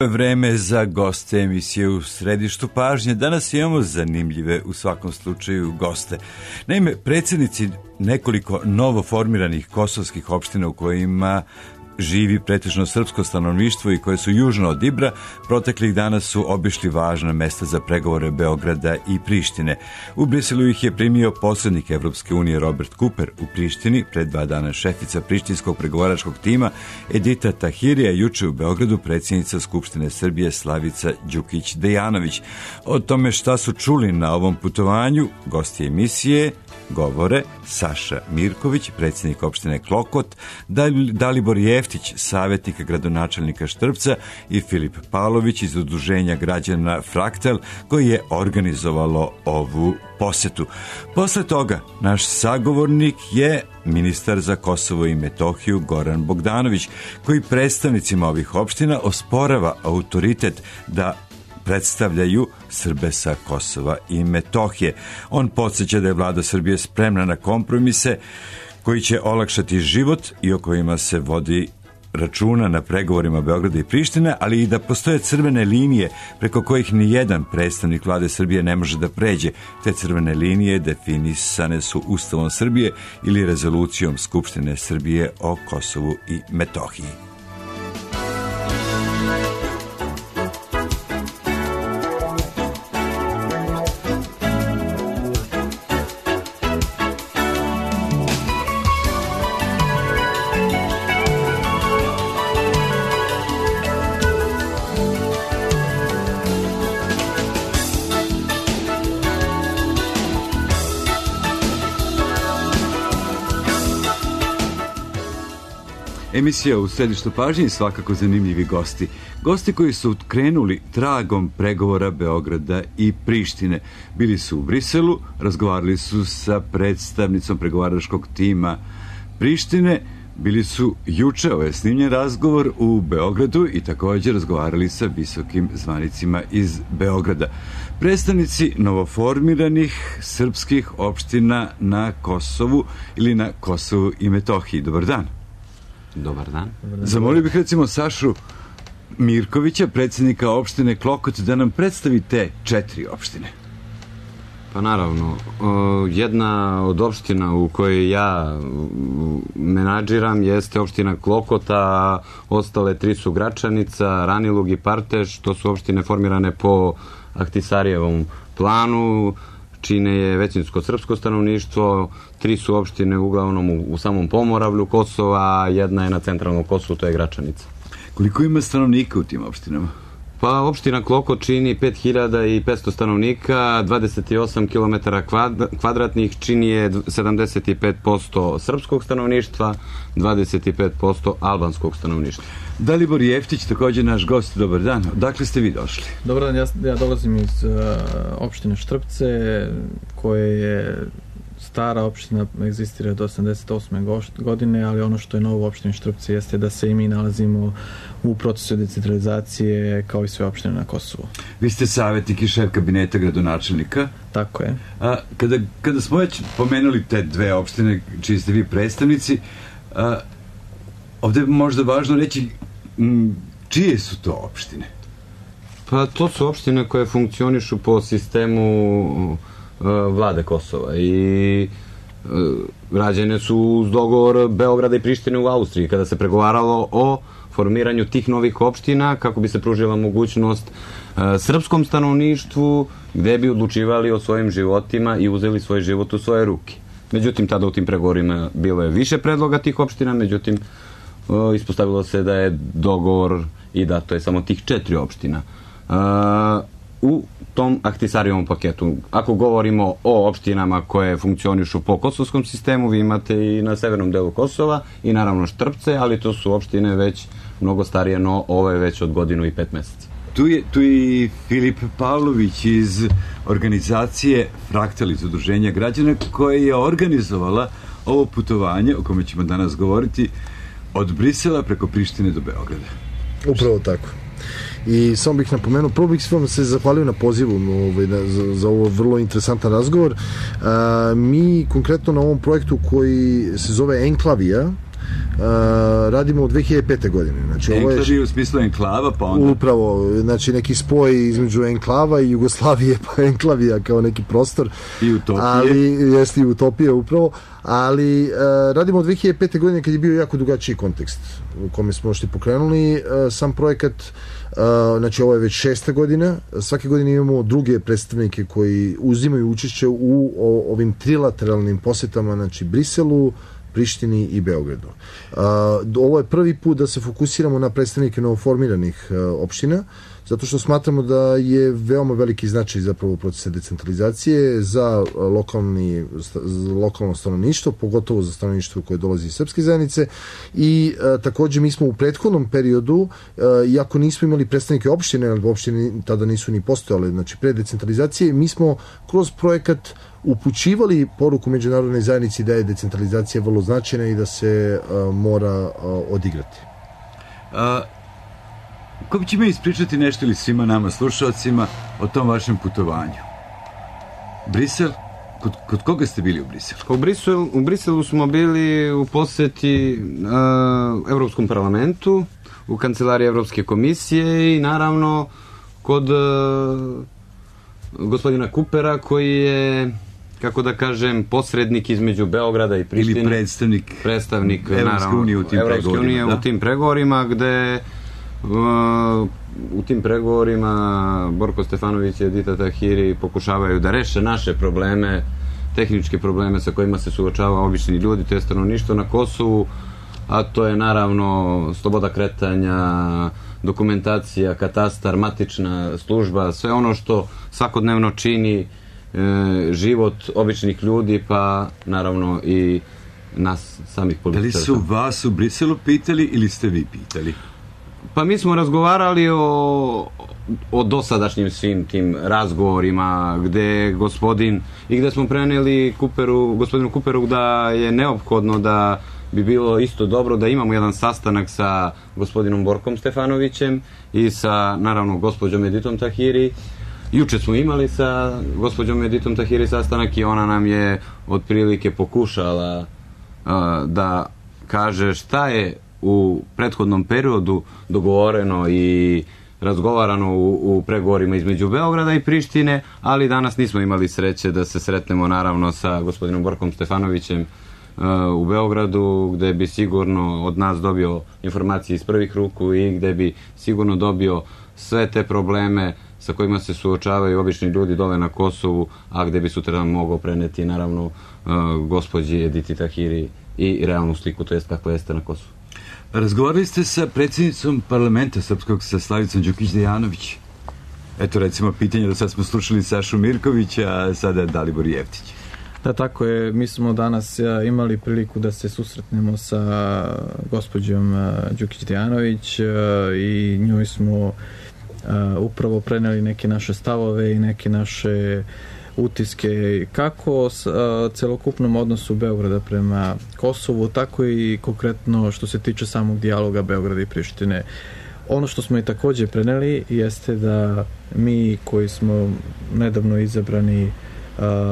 Vreme za goste emisije u središtu pažnje. Danas imamo zanimljive u svakom slučaju goste. Naime, predsjednici nekoliko novoformiranih kosovskih opština u kojima živi pretežno srpsko stanovništvo i koje su južno od Ibra, proteklih dana su obišli važna mesta za pregovore Beograda i Prištine. U Briselu ih je primio posrednik Evropske unije Robert Cooper u Prištini, pred 2 dana šefica prištinskog pregovaračkog tima Edita Tahirija, juče u Beogradu predsjednica Skupštine Srbije Slavica Đukić-Dejanović. O tome šta su čuli na ovom putovanju, gosti emisije govore Saša Mirković, predsjednik opštine Klokot, Dalibor Jeftić, savjetnik gradonačelnika Štrpca i Filip Pavlović iz udruženja građana Fraktal, koji je organizovalo ovu posetu. Posle toga naš sagovornik je ministar za Kosovo i Metohiju Goran Bogdanović, koji predstavnicima ovih opština osporava autoritet da predstavljaju Srbe sa Kosova i Metohije. On podsjeća da je vlada Srbije spremna na kompromise koji će olakšati život i o kojima se vodi računa na pregovorima Beograda i Prištine, ali i da postoje crvene linije preko kojih ni jedan predstavnik vlade Srbije ne može da pređe. Te crvene linije definisane su Ustavom Srbije ili rezolucijom Skupštine Srbije o Kosovu i Metohiji. Emisija u središtu pažnje i svakako zanimljivi gosti. Gosti koji su krenuli tragom pregovora Beograda i Prištine. Bili su u Briselu, razgovarali su sa predstavnicom pregovaračkog tima Prištine, bili su juče, ovo je snimljen razgovor, u Beogradu i također razgovarali sa visokim zvanicima iz Beograda. Predstavnici novoformiranih srpskih opština na Kosovu ili na Kosovu i Metohiji. Dobar dan. Dobar dan. Zamolio bih recimo Sašu Mirkovića, predsjednika opštine Klokot, da nam predstavi te 4 opštine. Pa naravno, jedna od opština u kojoj ja menadžiram jeste opština Klokota, a ostale 3 su Gračanica, Ranilug i Parteš, to su opštine formirane po Ahtisarijevom planu, čine je većinsko srpsko stanovništvo, 3 su opštine uglavnom u samom Pomoravlju Kosova, jedna je na centralnom Kosovu, to je Gračanica. Koliko ima stanovnika u tim opštinama? Pa opština Klokot čini 5500 stanovnika, 28 km kvadratnih, čini je 75% srpskog stanovništva, 25% albanskog stanovništva. Dalibor Jeftić, također naš gost, dobar dan. Odakle ste vi došli? Dobar dan, ja dolazim iz opštine Štrpce, koje je stara opština, egzistira do 88. godine, ali ono što je novo u opštini Štrpce jeste da se i mi nalazimo u procesu decentralizacije kao i sve opštine na Kosovu. Vi ste savjetnik i šef kabineta gradonačelnika. Tako je. Kada smo već pomenuli te 2 opštine čiji ste vi predstavnici, ovdje je možda važno reći čije su to opštine? Pa to su opštine koje funkcionišu po sistemu vlade Kosova i rađene su uz dogovor Beograda i Prištine u Austriji kada se pregovaralo o formiranju tih novih opština kako bi se pružila mogućnost srpskom stanovništvu gde bi odlučivali o svojim životima i uzeli svoj život u svoje ruke. Međutim, tada u tim pregovorima bilo je više predloga tih opština, međutim ispostavilo se da je dogovor i da to je samo tih 4 opština. U tom Ahtisarijevom paketu, ako govorimo o opštinama koje funkcionišu po kosovskom sistemu, vi imate i na severnom delu Kosova i naravno Štrpce, ali to su opštine već mnogo starije, no ovo je već od 1 godinu i 5 mjeseca. Tu je i Filip Pavlović iz organizacije Fraktal, iz udruženja građana, koja je organizovala ovo putovanje o kome ćemo danas govoriti od Brisela preko Prištine do Beograda. Upravo tako. I samo bih napomenuo, prvo bih vam se zahvalio na pozivu za ovo vrlo interesantan razgovor. Mi konkretno na ovom projektu koji se zove Enklavija, radimo od 2005. godine. Znači, enklavi u smislu enklava, pa onda... Upravo, znači neki spoj između enklava i Jugoslavije, pa enklavija kao neki prostor. I utopije. Ali, jeste i utopija upravo. Ali radimo od 2005. godine kad je bio jako drugačiji kontekst u kome smo što pokrenuli sam projekat. Znači ovo je već 6. godina. Svake godine imamo druge predstavnike koji uzimaju učešće u ovim trilateralnim posetama, znači Briselu, Prištini i Beogradu. Ovo je prvi put da se fokusiramo na predstavnike novoformiranih opština, zato što smatramo da je veoma veliki značaj zapravo procesa decentralizacije za lokalno stanovništvo, pogotovo za stanovništvo koje dolazi iz srpske zajednice i takođe mi smo u prethodnom periodu, iako nismo imali predstavnike opštine, ali opštine tada nisu ni postojale, znači pre decentralizacije, mi smo kroz projekat upućivali poruku međunarodnoj zajednici da je decentralizacija vrlo značajna i da se mora odigrati. Ko će mi ispričati nešto ili svima nama slušalcima o tom vašem putovanju? Brisel? Kod koga ste bili u Briselu? U Briselu smo bili u poseti Evropskom parlamentu, u kancelariji Evropske komisije i naravno kod gospodina Kupera koji je, kako da kažem, posrednik između Beograda i Prištine. Ili predstavnik Evropske unije u tim pregovorima, gde u tim pregovorima Borko Stefanović i Edita Tahiri pokušavaju da reše naše probleme, tehničke probleme sa kojima se suočava obični ljudi, to je stanovništvo na Kosovu, a to je naravno sloboda kretanja, dokumentacija, katastar, matična služba, sve ono što svakodnevno čini život običnih ljudi, pa naravno i nas samih političara. Da li su vas u Briselu pitali ili ste vi pitali? Pa mi smo razgovarali o dosadašnjim svim tim razgovorima gde smo preneli gospodinu Kuperu da je neophodno da bi bilo isto dobro da imamo jedan sastanak sa gospodinom Borkom Stefanovićem i sa, naravno, gospođom Editom Tahiri. Juče smo imali sa gospođom Editom Tahiri sastanak i ona nam je otprilike pokušala da kaže šta je u prethodnom periodu dogovoreno i razgovarano u pregovorima između Beograda i Prištine, ali danas nismo imali sreće da se sretnemo naravno sa gospodinom Borkom Stefanovićem u Beogradu, gde bi sigurno od nas dobio informacije iz prvih ruku i gde bi sigurno dobio sve te probleme sa kojima se suočavaju obični ljudi dole na Kosovu, a gde bi sutra mogao preneti naravno gospođi Editi Tahiri i realnu sliku, to jest kako jeste na Kosovu. Razgovarali ste sa predsjednicom parlamenta srpskog, sa Slavicom Đukić-Dejanović. Eto, recimo, pitanje da sad smo slušali Sašu Mirkovića, a sada Dalibor Jeftić. Da, tako je. Mi smo danas imali priliku da se susretnemo sa gospođom Đukić-Dejanović i njoj smo upravo preneli neke naše stavove i neke naše utiske kako celokupnom odnosu Beograda prema Kosovu, tako i konkretno što se tiče samog dijaloga Beograda i Prištine. Ono što smo i takođe preneli jeste da mi koji smo nedavno izabrani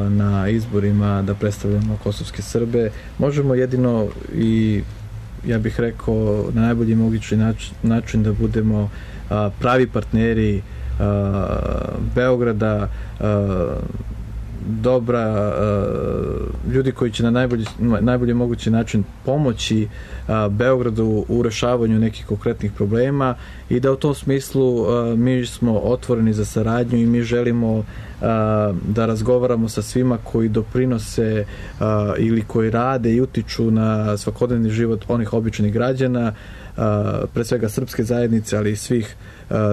na izborima da predstavljamo kosovske Srbe, možemo jedino i ja bih rekao na najbolji mogući način da budemo pravi partneri Beograda, ljudi koji će na najbolji mogući način pomoći Beogradu u rešavanju nekih konkretnih problema i da u tom smislu mi smo otvoreni za saradnju i mi želimo da razgovaramo sa svima koji doprinose ili koji rade i utiču na svakodnevni život onih običnih građana, pre svega srpske zajednice, ali i svih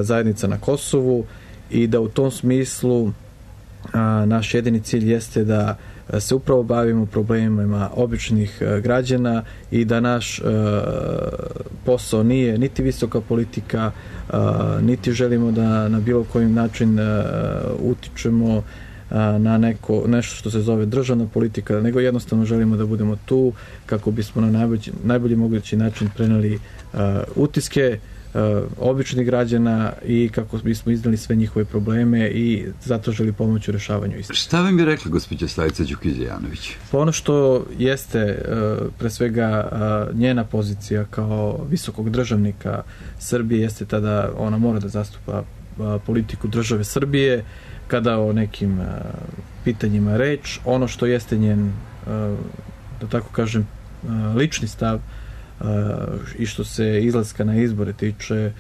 zajednica na Kosovu, i da u tom smislu naš jedini cilj jeste da se upravo bavimo problemima običnih građana i da naš posao nije niti visoka politika, niti želimo da na bilo koji način utičemo na nešto što se zove državna politika, nego jednostavno želimo da budemo tu kako bismo na najbolji mogući način preneli utiske običnih građana i kako bismo iznali sve njihove probleme i zato želi pomoći u rešavanju istih. Šta vam je rekla gospođa Slavica Đukić-Dejanović? Pa ono što jeste pre svega njena pozicija kao visokog državnika Srbije jeste tada ona mora da zastupa politiku države Srbije kada o nekim pitanjima reč. Ono što jeste njen, da tako kažem, lični stav i što se izlaska na izbore tiče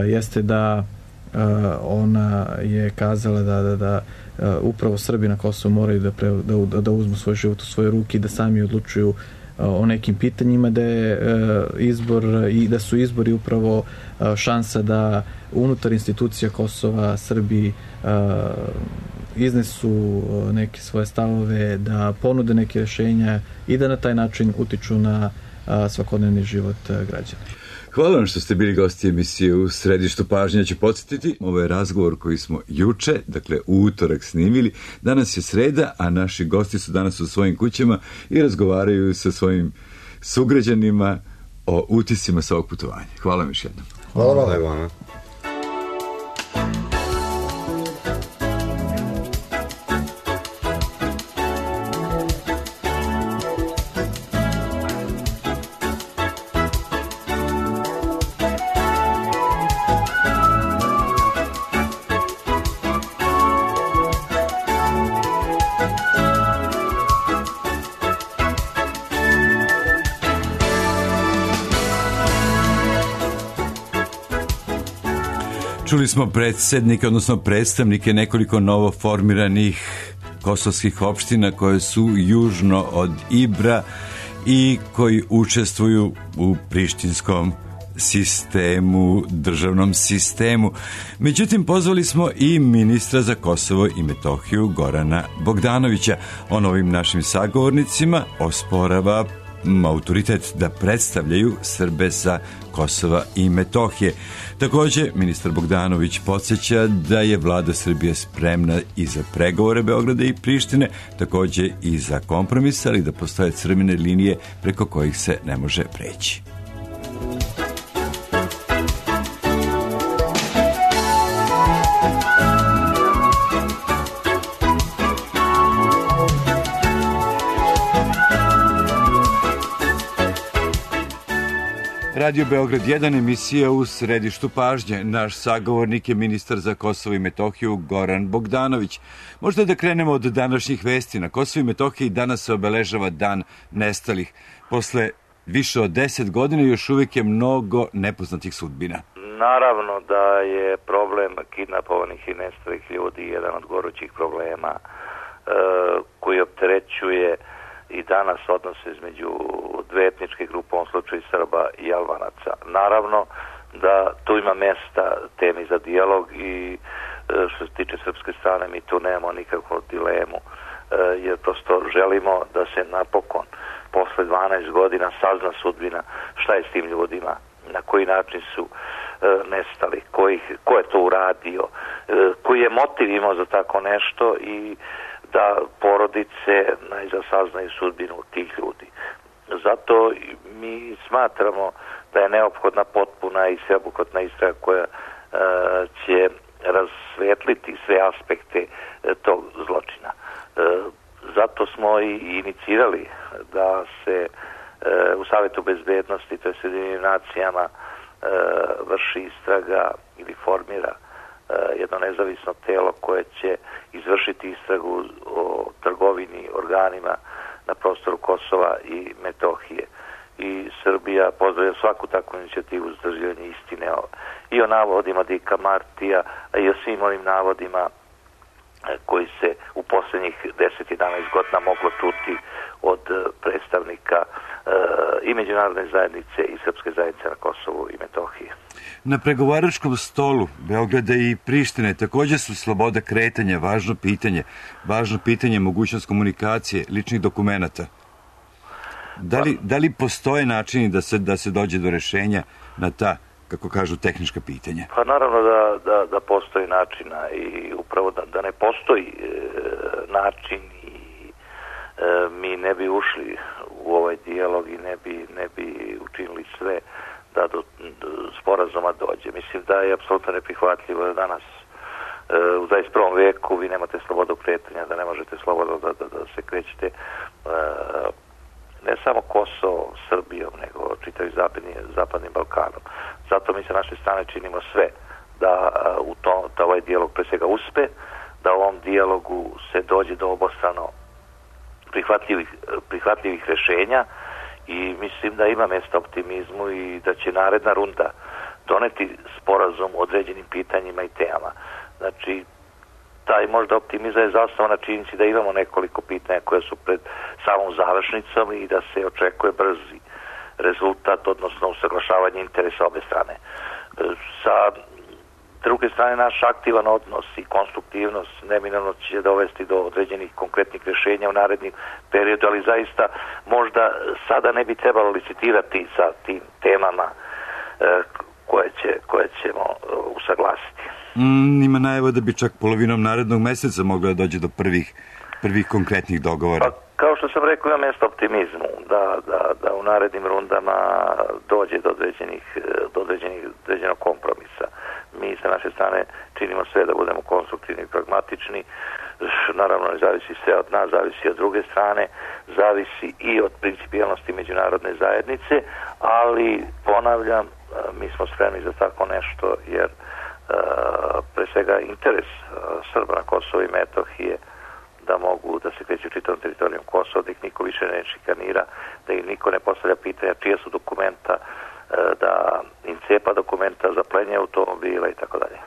jeste da ona je kazala da upravo Srbi na Kosovu moraju da uzmu svoj život u svoje ruke i da sami odlučuju o nekim pitanjima, da je izbor i da su izbori upravo šansa da unutar institucija Kosova Srbi iznesu neke svoje stavove, da ponude neke rješenja i da na taj način utiču na svakodnevni život građana. Hvala vam što ste bili gosti emisije U središtu pažnje. Ja ću podsjetiti, ovo je razgovor koji smo juče, dakle u utorak snimili. Danas je sreda, a naši gosti su danas u svojim kućama i razgovaraju sa svojim sugrađanima o utiscima sa ovog putovanja. Hvala vam još jednom. Hvala vam. Čuli smo predsjednike, odnosno predstavnike nekoliko novoformiranih kosovskih opština koje su južno od Ibra i koji učestvuju u prištinskom sistemu, državnom sistemu. Međutim, pozvali smo i ministra za Kosovo i Metohiju Gorana Bogdanovića. On ovim našim sagovornicima osporava autoritet da predstavljaju Srbe sa Kosova i Metohije. Također, ministar Bogdanović podsjeća da je vlada Srbije spremna i za pregovore Beograda i Prištine, također i za kompromis, ali da postoje crvene linije preko kojih se ne može preći. Radio Beograd 1, emisija U središtu pažnje. Naš sagovornik je ministar za Kosovo i Metohiju Goran Bogdanović. Možda da krenemo od današnjih vesti. Na Kosovo i Metohiji danas se obeležava dan nestalih. Posle više od 10 godina još uvijek je mnogo nepoznatih sudbina. Naravno da je problem kidnapovanih i nestalih ljudi jedan od gorućih problema koji opterećuje i danas odnose između dve etničke grupe, u ovom slučaju Srba i Albanaca. Naravno da tu ima mesta temi za dijalog i što se tiče srpske strane mi tu nemamo nikakvu dilemu, jer prosto želimo da se napokon posle 12 godina sazna sudbina šta je s tim ljudima, na koji način su nestali, ko je to uradio, koji je motiv imao za tako nešto i da porodice najzad saznaju sudbinu tih ljudi. Zato mi smatramo da je neophodna potpuna i sveobuhvatna istraga koja će rasvetliti sve aspekte tog zločina. Zato smo i inicirali da se u Savetu bezbednosti, to je s Ujedinjenim nacijama, vrši istraga ili formira jedno nezavisno telo koje će izvršiti istragu o trgovini organima na prostoru Kosova i Metohije. I Srbija pozdravlja svaku takvu inicijativu za istraživanje istine i o navodima Dika Martija, a i o svim onim navodima koji se u posljednjih 10-11 godina moglo čuti od predstavnika i međunarodne zajednice i srpske zajednice na Kosovu i Metohiji. Na pregovaračkom stolu Beograda i Prištine također su sloboda kretanja, važno pitanje mogućnost komunikacije, ličnih dokumenata. Da li postoje načini da se dođe do rješenja na ta, kako kažu, tehnička pitanja? Pa naravno da postoji načina i upravo da ne postoji način i mi ne bi ušli u ovaj dijalog i ne bi učinili sve da do sporazuma dođe. Mislim da je apsolutno neprihvatljivo da danas u 21. veku vi nemate slobodu kretanja, da ne možete slobodno da se krećete ne samo Kosovo, Srbijom, nego čitavim zapadnim Balkanom. Zato mi sa naše strane činimo sve da ovaj dijalog pre svega uspe, da u ovom dijalogu se dođe do obostrano prihvatljivih rešenja i mislim da ima mjesta optimizmu i da će naredna runda doneti sporazum o određenim pitanjima i temama. Znači, taj možda optimizam je zasnovan na činjenici da imamo nekoliko pitanja koje su pred samom završnicom i da se očekuje brzi rezultat, odnosno usaglašavanje interesa obe strane. Sa druge strane, naš aktivan odnos i konstruktivnost neminovno će dovesti do određenih konkretnih rješenja u narednim periodu, ali zaista možda sada ne bi trebalo licitirati sa tim temama koje ćemo usaglasiti. Ima najava da bi čak polovinom narednog meseca moglo da dođe do prvih konkretnih dogovora. Pa, kao što sam rekao, ima mjesto optimizmu da u narednim rundama dođe do određenog kompromisa. Mi sa naše strane činimo sve da budemo konstruktivni i pragmatični. Naravno, ne zavisi sve od nas, zavisi od druge strane, zavisi i od principijelnosti međunarodne zajednice, ali ponavljam, mi smo spremni za tako nešto, jer pre svega interes Srba na Kosovo i Metohije da mogu da se kreću čitavom teritorijom Kosova, da ih niko više ne šikanira, da im niko ne postavlja pitanja čija su dokumenta, da im cepa dokumenta za plenje automobila i tako dalje.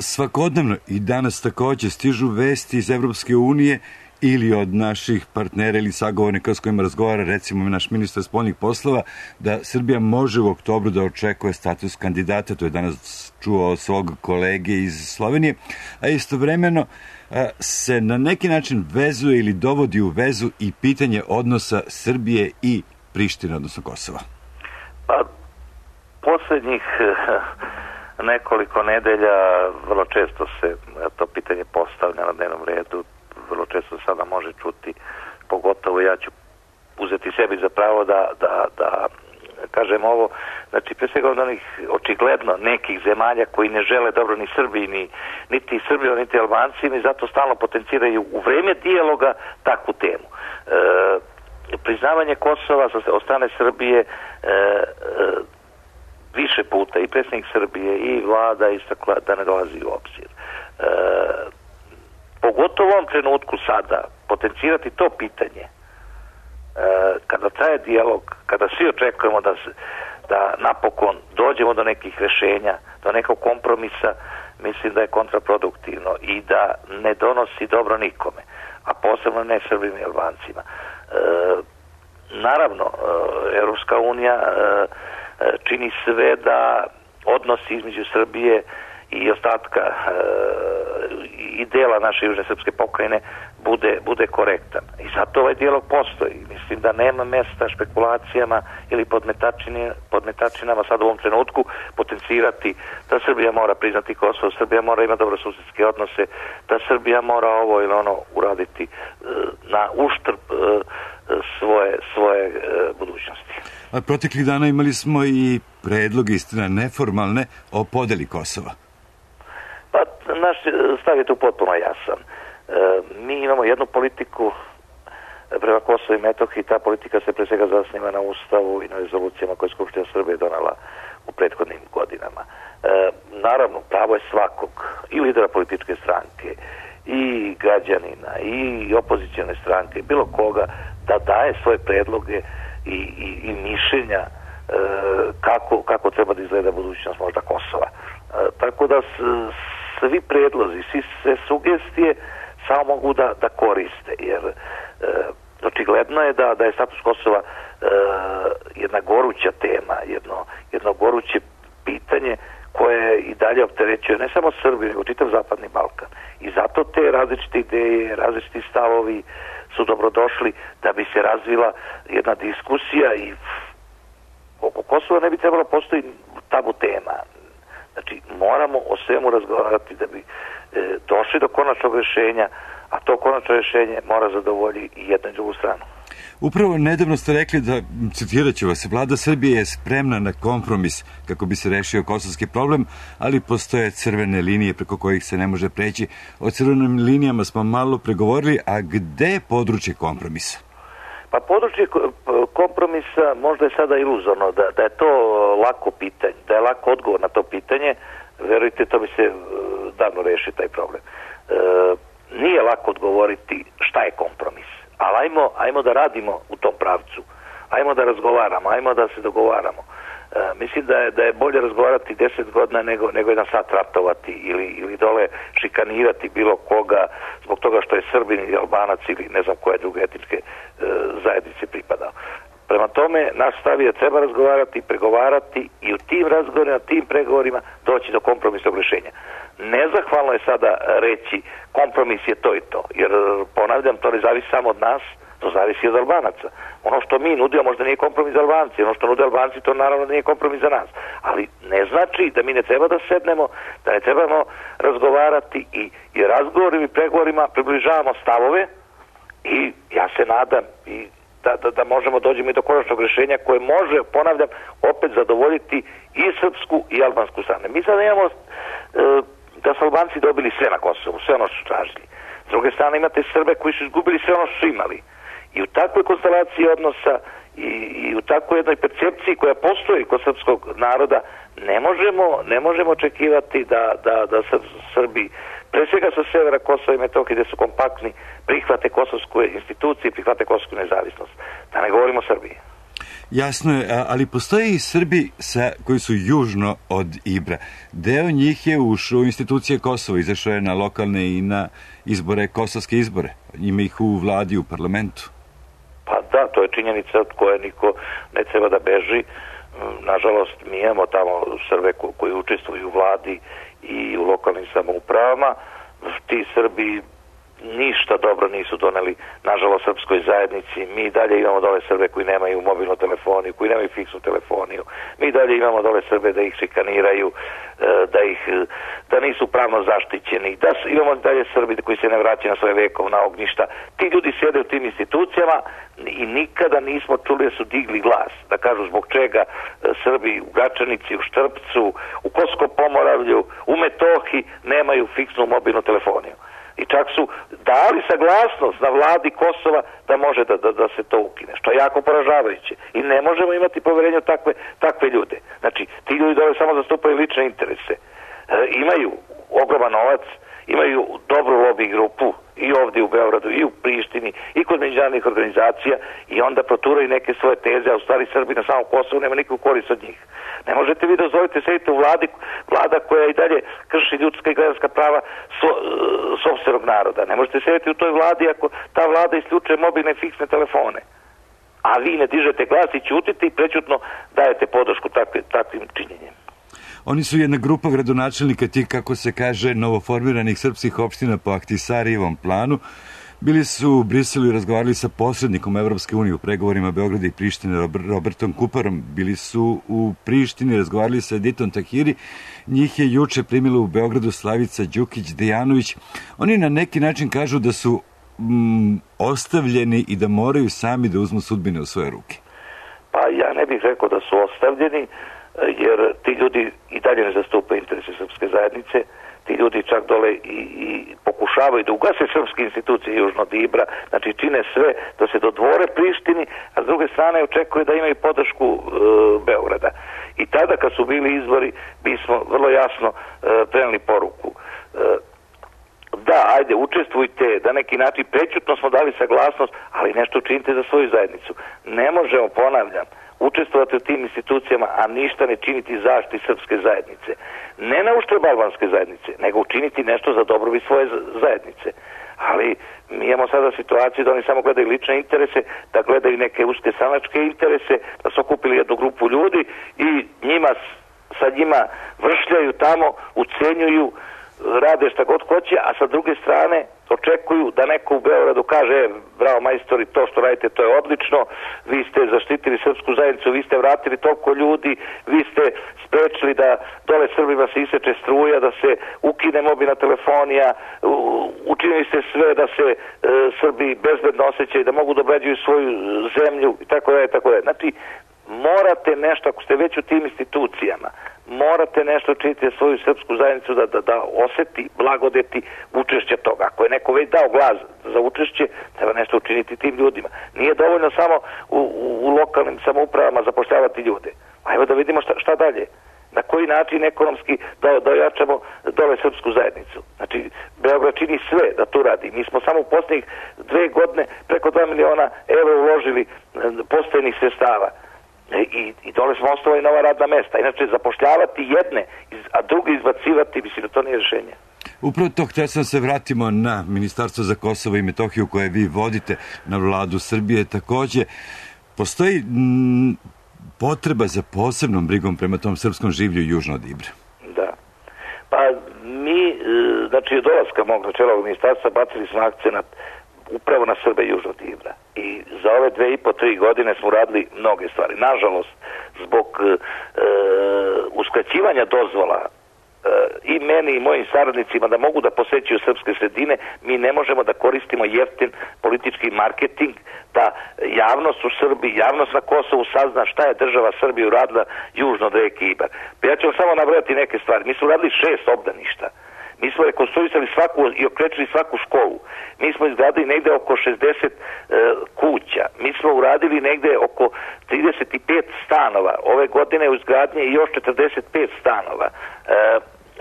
Svakodnevno i danas takođe stižu vesti iz Evropske unije ili od naših partnera ili sagovornika s kojima razgovara, recimo naš ministar spoljnih poslova, da Srbija može u oktobru da očekuje status kandidata, to je danas čuo svog kolege iz Slovenije, a istovremeno se na neki način vezuje ili dovodi u vezu i pitanje odnosa Srbije i Prištine, odnosno Kosova. Pa, poslednjih nekoliko nedelja vrlo često se to pitanje postavlja na dnevnom redu, vrlo često sada može čuti, pogotovo ja ću uzeti sebi za pravo da kažem ovo, znači pre svega od onih očigledno nekih zemalja koji ne žele dobro ni Srbiji, niti Srbijom, niti Albancima i zato stalno potenciraju u vreme dijaloga takvu temu. Priznavanje Kosova od strane Srbije više puta i predsjednik Srbije i vlada istakla da ne dolazi u obzir. Pogotovo u ovom trenutku sada potencirati to pitanje kada traje dijalog, kada svi očekujemo da napokon dođemo do nekih rešenja, do nekog kompromisa, mislim da je kontraproduktivno i da ne donosi dobro nikome, a posebno ne Srbima i Albancima. Naravno, Evropska unija čini sve da odnosi između Srbije i ostatka i dela naše južne srpske pokrajine bude korektan. I zato ovaj dijalog postoji. Mislim da nema mesta špekulacijama ili podmetačinama sad u ovom trenutku potencirati da Srbija mora priznati Kosovo, Srbija mora imati dobrosusedske odnose, da Srbija mora ovo ili ono uraditi na uštrb svoje budućnosti. A proteklih dana imali smo i predlog, istina neformalne, o podeli Kosova. Pa, naš stav je tu potpuno jasan. Mi imamo jednu politiku prema Kosovo i Metohiji, ta politika se pre svega zasniva na Ustavu i na rezolucijama koje je Skupština Srbije donala u prethodnim godinama. Naravno, pravo je svakog, i lidera političke stranke, i građanina, i opozicione stranke, bilo koga, da daje svoje predloge i mišljenja kako treba da izgleda budućnost možda Kosova. Tako da svi predlozi, sve sugestije samo mogu da koriste, jer očigledno je da je status Kosova jedna goruća tema, jedno goruće pitanje koje i dalje opterećuje ne samo Srbiju, nego čitav zapadni Balkan. I zato te različite ideje, različiti stavovi su dobrodošli da bi se razvila jedna diskusija i oko Kosova ne bi trebalo postoji tabu tema. Znači, moramo o svemu razgovarati da bi došli do konačnog rješenja, a to konačno rješenje mora zadovoljiti i jednu i drugu stranu. Upravo nedavno ste rekli da, citirat ću vas, vlada Srbije je spremna na kompromis kako bi se rešio kosovski problem, ali postoje crvene linije preko kojih se ne može preći. O crvenim linijama smo malo pregovorili, a gde je područje kompromisa? Pa područje kompromisa možda je sada iluzorno, da je to lako pitanje, da je lako odgovor na to pitanje, verujte, to bi se davno rešio taj problem. Nije lako odgovoriti šta je kompromis, ali ajmo da radimo u tom pravcu, ajmo da razgovaramo, ajmo da se dogovaramo. Mislim da je bolje razgovarati 10 godina nego jedan sat ratovati ili dole šikanirati bilo koga zbog toga što je Srbin ili Albanac ili ne znam koje druge etničke zajednice pripadao. Prema tome, naš stav je da treba razgovarati, pregovarati i u tim razgovorima, tim pregovorima doći do kompromisnog rješenja. Nezahvalno je sada reći kompromis je to i to, jer ponavljam, to ne zavisi samo od nas, to zavisi od Albanaca. Ono što mi nudimo možda nije kompromis za Albanci, ono što nude Albanci to naravno nije kompromis za nas. Ali ne znači da mi ne treba da sednemo, da ne trebamo razgovarati i razgovorima i pregovorima približavamo stavove i ja se nadam i da možemo dođemo i do konačnog rješenja koje može, ponavljam, opet zadovoljiti i srpsku i albansku stranu. Mi sada imamo da su Albanci dobili sve na Kosovu, sve ono što su tražili. S druge strane imate Srbe koji su izgubili sve ono što su imali. I u takvoj konstelaciji odnosa i u takvoj jednoj percepciji koja postoji kod srpskog naroda ne možemo očekivati da Srbi, pre svega sa severa Kosova i Metohije gde su kompaktni, prihvate kosovsku instituciju i prihvate kosovsku nezavisnost. Da ne govorimo o Srbiji. Jasno je, ali postoje i Srbi koji su južno od Ibra. Deo njih je ušao u institucije Kosova, izašao je na lokalne i na izbore, kosovske izbore. Ima ih u vladi, u parlamentu. Pa da, to je činjenica od koje niko ne treba da beži. Nažalost, mi imamo tamo Srbe koji učestvuju u vladi i u lokalnim samoupravama. Ti Srbi ništa dobro nisu doneli, nažalost, srpskoj zajednici. Mi dalje imamo dole Srbe koji nemaju mobilnu telefoniju, koji nemaju fiksnu telefoniju. Mi dalje imamo dole Srbe da ih šikaniraju, da nisu pravno zaštićeni. Imamo dalje Srbi koji se ne vraćaju na svoje vekovna ognjišta. Ti ljudi sjede u tim institucijama i nikada nismo čuli da su digli glas, da kažu zbog čega Srbi u Gračanici, u Štrpcu, u Kosovskom Pomoravlju, u Metohiji nemaju fiksnu mobilnu telefoniju. I čak su dali saglasnost na vladi Kosova da može da se to ukine, što je jako poražavajuće. I ne možemo imati poverenje u takve ljude. Znači, ti ljudi dole samo zastupaju lične interese. Imaju ogroman novac, imaju dobru lobby grupu i ovdje u Beogradu i u Prištini i kod međunarodnih organizacija i onda proturaju neke svoje teze, a u stvari Srbi na samom Kosovu nema nikakvu korist od njih. Ne možete vi dozvoliti sedite u vlada koja i dalje krši ljudska i građanska prava sopstvenog naroda. Ne možete sediti u toj vladi ako ta vlada isključuje mobilne i fiksne telefone. A vi ne dižete glas i ćutite i prećutno dajete podršku takvim činjenjem. Oni su jedna grupa gradonačelnika tih, kako se kaže, novoformiranih srpskih opština po Ahtisarijevom planu. Bili su u Briselu i razgovarali sa posrednikom Evropske unije u pregovorima Beograda i Prištine Robertom Kuparom. Bili su u Prištini, razgovarali sa Editom Tahiri. Njih je juče primila u Beogradu Slavica Đukić-Dejanović. Oni na neki način kažu da su ostavljeni i da moraju sami da uzmu sudbine u svoje ruke. Pa ja ne bih rekao da su ostavljeni, jer ti ljudi i dalje ne zastupaju interese srpske zajednice. Ti ljudi čak dole i pokušavaju da ugase srpske institucije južno od Ibra, znači čine sve da se dodvore Prištini, a s druge strane očekuje da imaju podršku Beograda. I tada kad su bili izbori, mi smo vrlo jasno preneli poruku. Da, ajde, učestvujte, da neki način prećutno smo dali saglasnost, ali nešto učinite za svoju zajednicu. Ne možemo, ponavljam, učestvovati u tim institucijama, a ništa ne činiti zaštiti srpske zajednice. Ne na uštrb albanske zajednice, nego učiniti nešto za dobrobit svoje zajednice. Ali mi imamo sada situaciju da oni samo gledaju lične interese, da gledaju neke uske stranačke interese, da su okupili jednu grupu ljudi i sa njima vršljaju tamo, ucenjuju, rade šta god hoće, a sa druge strane očekuju da neko u Beogradu kaže bravo majstori, to što radite to je odlično, vi ste zaštitili srpsku zajednicu, vi ste vratili toliko ljudi, vi ste sprečili da dole Srbima se iseče struja, da se ukine mobilna telefonija, učinili ste sve da se Srbi bezbedno osjećaju, da mogu da obrađuju svoju zemlju i tako dalje, tako dalje. Znači, morate nešto, ako ste već u tim institucijama, morate nešto učiniti svoju srpsku zajednicu da oseti blagodeti učešća toga. Ako je neko već dao glas za učešće, treba nešto učiniti tim ljudima. Nije dovoljno samo u lokalnim samoupravama zapošljavati ljude. Ajmo da vidimo šta dalje. Na koji način ekonomski da ojačamo dole srpsku zajednicu. Znači, Beograd čini sve da to radi. Mi smo samo u posljednjih 2 godine preko 2 miliona evra uložili postojenih sredstava. I dole smo osnovali nova radna mesta. Inače, zapošljavati jedne, a druge izbacivati, mislim da to nije rješenje. Upravo to htio sam se vratimo na Ministarstvo za Kosovo i Metohiju koje vi vodite, na vladu Srbije takođe. Postoji potreba za posebnom brigom prema tom srpskom življu južno od Ibra. Da. Pa mi, znači od dolaska mog na čelo ovog ministarstva bacili smo akcenat upravo na Srbe južno od Ibra. I za ove 2,5-3 godine smo radili mnoge stvari. Nažalost, zbog uskraćivanja dozvola i meni i mojim saradnicima da mogu da posećuju srpske sredine, mi ne možemo da koristimo jeftin politički marketing, da javnost u Srbiji, javnost na Kosovu sazna šta je država Srbije uradila južno od reke Ibar. Pa ja ću vam samo nabrojati neke stvari. Mi smo uradili 6 obdaništa. Mi smo rekonstruisali svaku i okrečili svaku školu. Mi smo izgradili negde oko 60 kuća. Mi smo uradili negde oko 35 stanova. Ove godine u izgradnje još 45 stanova.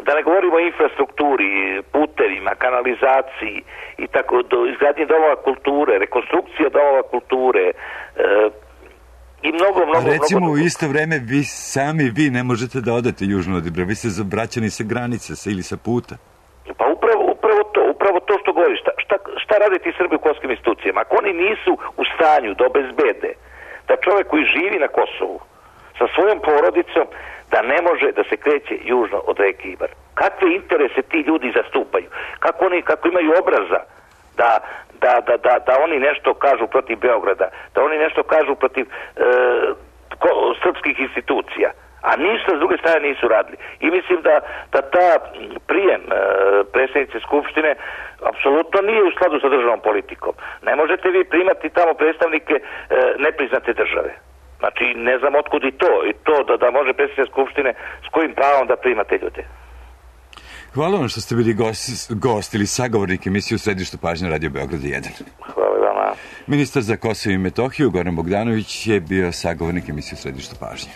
Da ne govorimo o infrastrukturi, putevima, kanalizaciji i tako, do izgradnje domova kulture, rekonstrukcija domova kulture, i mnogo. Recimo u isto vreme vi ne možete da odete južno od Ibra, vi ste zabraćani sa granice ili sa puta. Pa upravo to što govoriš. Šta rade ti Srbi u kosovskim institucijama? Ako oni nisu u stanju da obezbede da čovjek koji živi na Kosovu sa svojom porodicom da ne može da se kreće južno od reke Ibar. Kakve interese ti ljudi zastupaju? Kako imaju obraza da oni nešto kažu protiv Beograda, da oni nešto kažu protiv srpskih institucija, a ništa s druge strane nisu radili. I mislim da ta prijem predsjednice Skupštine apsolutno nije u skladu sa državnom politikom. Ne možete vi primati tamo predstavnike nepriznate države. Znači, ne znam otkud i to da može predsjednica Skupštine s kojim pravom da primate ljude. Hvala vam što ste bili gost ili sagovornik emisije u središtu pažnje Radio Beograd 1. Hvala vama. Ministar za Kosovo i Metohiju Goran Bogdanović je bio sagovornik emisije u središtu pažnje.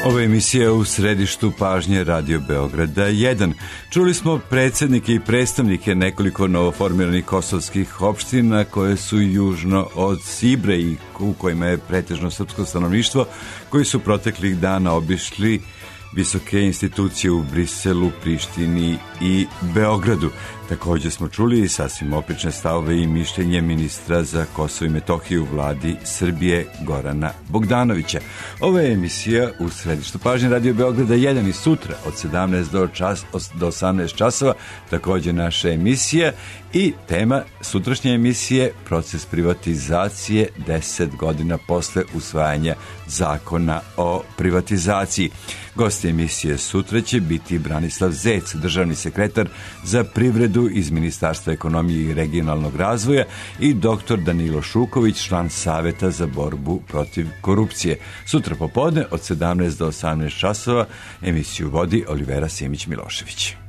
Ova emisija u središtu pažnje Radio Beograda 1. Čuli smo predsjednike i predstavnike nekoliko novoformiranih kosovskih opština koje su južno od Ibre i u kojima je pretežno srpsko stanovništvo, koji su proteklih dana obišli visoke institucije u Briselu, Prištini i Beogradu. Također smo čuli i sasvim oprečne stavove i mišljenje ministra za Kosovo i Metohiju u vladi Srbije Gorana Bogdanovića. Ovo je emisija u središtu pažnje Radio Beograda 1 i sutra od 17 do 18 časova, također naša emisija i tema sutrašnje emisije proces privatizacije 10 godina posle usvajanja zakona o privatizaciji. Gosti emisije sutra će biti Branislav Zec, državni sekretar za privredu iz Ministarstva ekonomije i regionalnog razvoja i dr. Danilo Šuković, član Saveta za borbu protiv korupcije. Sutra popodne od 17 do 18 časova emisiju vodi Olivera Simić-Milošević.